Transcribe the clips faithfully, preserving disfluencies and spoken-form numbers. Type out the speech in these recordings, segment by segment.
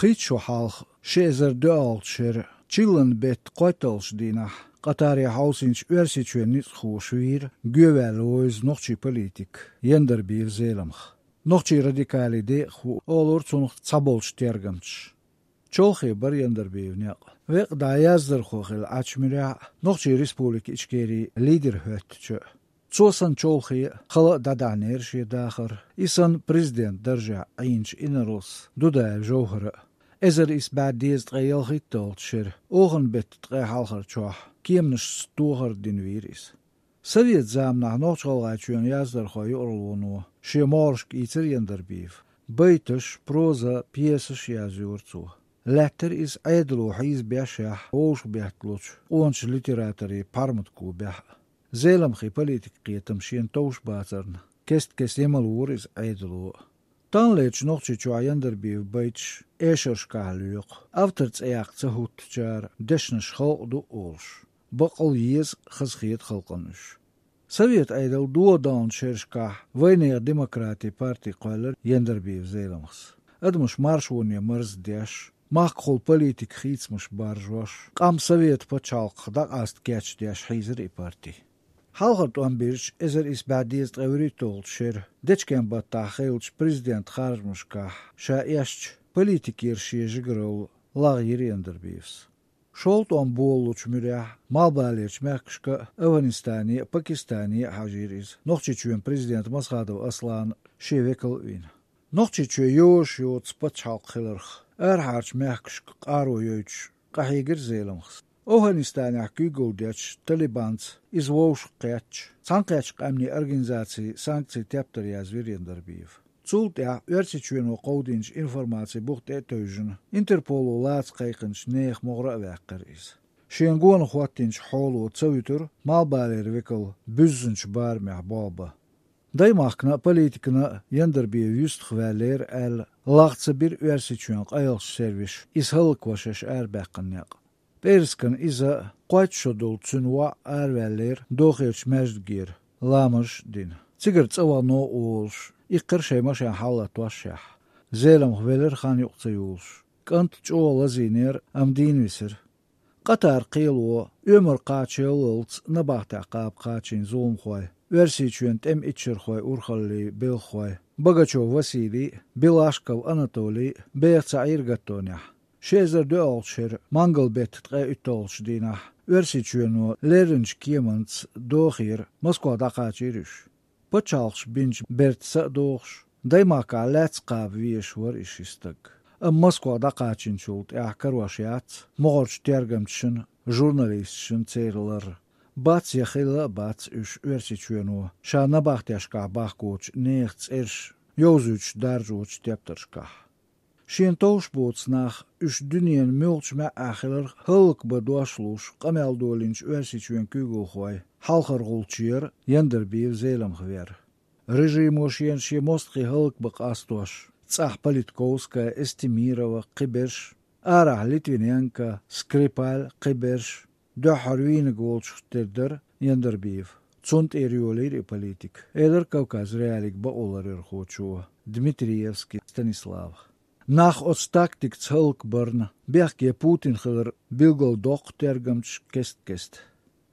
Кхыччо хьалха ши эзар доьалгӀачу шеран чиллан беттан кхойтталгӀачу дийнахь Къатаре хьовсийначу Оьрсийчоьнан ницкъахоша вийра гоьваьлла вевза нохчийн политик Яндарбиев Зеламха. Нохчийн радикалан декъахо олура цунах цхьаболчу тергамчаша. Чолхе бара Яндарбиевн некъ. Векъа дӀа яздархо хилла Ӏачу муьрехь а, Нохчийн Республика Ичкерин лидер хӀоьттича а. Цо санна чолхе а, хала а дӀадахьнера шен дахар, и санна президентан даржехь Ӏийначу инарлас Дудаев Жовхара а. Эзар исс бӀе дезткъе ялхитталгӀачу шеран охан беттан ткъе хьалхарчохь кеманашца тохар дина вийра иза. Совет заманахь Нохч-ГӀалгӀайчоьнан яздархойн юкъаралло шен могӀаршка ийцира Яндарбиев. Байташ, проза, пьесаш язйора цо. Лаьттара иза Ӏедало хьийзабеш, вовшахбетталучу къоначу литераторийн пхьарматан клубехь а. Зеламхин политикан кхетам шена товш бацарна, кест-кеста емалора иза Ӏедало а. Таханлерчу Нохчийчохь Яндарбиевн байташ эшаршкахь лоькху, автор цӀе яккха ца хӀуттучара дешнаш халкъан ду олуш. Баккъал еза, хазахета халкъана уьш. Совет Ӏедал догӀа даллачу шерашкахь вайнехан демократин парти кхоьллира Яндарбиев Зеламхас. Адамаш маршоне марздеш, махкахула политикан хийцамаш баржош, къам Совет пачхьалкхах дӀакъаста кечдеш хьийзира и парти. Хьалхара тӀом бирзича, эзар исс бӀе дезткъе вуьрхӀитталгӀачу шеран дечкен-баттахь хиллачу президентан харжамашкахь ша эшначу политикера шен жигаралла лагӀйира Яндарбиевс. ШолгӀа тӀом болалучу муьрехь Малхбалерчу мехкашка а, Афганистане а, Пакистане а хьажийра иза, Нохчийчоьнан президента Масхадов Аслана шен векал а вина. Нохчийчоь йозуш йоцу пачхьалкх хиларх, арахьарчу мехкашка къаро йойтуш, къахьегира Зеламхас. Афганистанехь куьйгалла дечу Талибанца иза вовшах кхетча, Цхьаьнакхеттачу Къаьмнийн Организацин санкцийн тептар язвира Яндарбиев. Цул тӀаьхьа Оьрсийчоьно кховдийначу информацин бух тӀе а тевжина, Интерполо лаца кхайкхинчу нехан могӀаре а ваьккхира иза. Шена гонах хӀоттийначу хьоло ца вуьтура Малхбалеран векал буьззинчу барамехь болх бан. Даймахкана а, политикана а Яндарбиев юьстах ваьллера аьлла, лагӀ ца бира Оьрсийчоьнан къайлахчу сервисаша иза хӀаллакван шаьш арабаьккхина некъ. ПӀераскан иза, кхойтта шо долу цуьнан воӀ араваьллера Дохерчу маьждигера, ламазаш а дина. Цигара цӀа вахана а волуш, иккхира шайн машен хьалалатошшехь. Зеламха велира хан юкъа ца юлуш. КӀант чӀогӀа лазийнера, амма дийна висира. Къатаран кхело оьмар кхачаяллалц набахтехь кхаба кхачийна зуламхой, Оьрсийчоьнан тӀеман иччархойн урхаллин белхахой Богачёв Василий а, Белашков Анатолий а беха ца Ӏийра гаттонехь. Ши эзар доьалгӀачу шеран мангал беттан ткъе уьтталгӀачу дийнахь Оьрсийчоьно лерринчу кеманца Дохера, Москвах дӀакхачийра уьш. Пачхьалкхаша бинчу бертаца а догӀуш, Даймахкахь лаьцна кхаба везаш вара и ши стаг. Амма Москвах дӀакхачийначул тӀаьхьа карош яц могӀарчу тергамчашна, журналисташна церан лар. Бац я хилла а бац уьш Оьрсийчоьно ша набахтешкахь бахкочу нехан цӀераш йовзуьйтуш даржочу тептаршкахь. Шена товш боцу нах, уьш дуьненан муьлххачу маьӀӀехь хиларх хӀаллакбан дош луш къамел долийначу Оьрсийчоьнан куьйгалхой хьалхара гӀулчаш яра Яндарбиев Зеламха вер. Режимо шена шен мостагӀий хӀаллакбан къастош, цӀахь Политковская, Эстемирова, кхиберш, арахь Литвиненко, Скрипаль, кхиберш, дуьххьара вийнарг волчух тера дара Яндарбиев. Цунна тӀера йолийра и политика, элира Кавказ.Реалиин бакъоларъярхочо Дмитриевский Станислава. Нах оцу тактикаца хӀаллакбарна бехке Путин хилар билгалдоккху тергамчаша кест-кеста.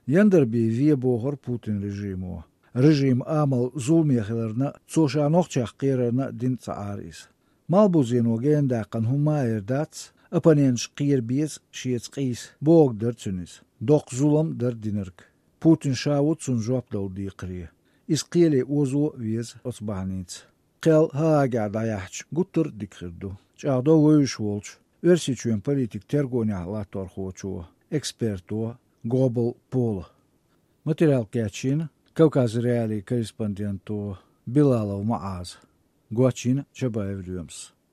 Яндарбиев ве бохура Путин режимо. Режиман амал зуламе хиларна а, цо ша нохчех кхерарна а дина ца Ӏара иза. Малхбузено генадаьккхина хӀума ма-эр дац, оппоненташ кхера беза шеца къийса, бохург дара цуьнан иза. Доккха зулам дара динарг. Путин ша ву цунна жоп дала декхаре. Иза кхеле озо а веза оцу бахьаница. Кхел ХӀаагехь дӀаяьхьча, гуттар а дика хир ду, чӀагӀдо вевзаш волчу Оьрсийчоьнан политикан тергонехь латторхочо, эксперто Гобл Пола. Материал кечйина Кавказ.Реалиин корреспонденто Билалов МуӀаза, гочйина Чабаев Лоьмас.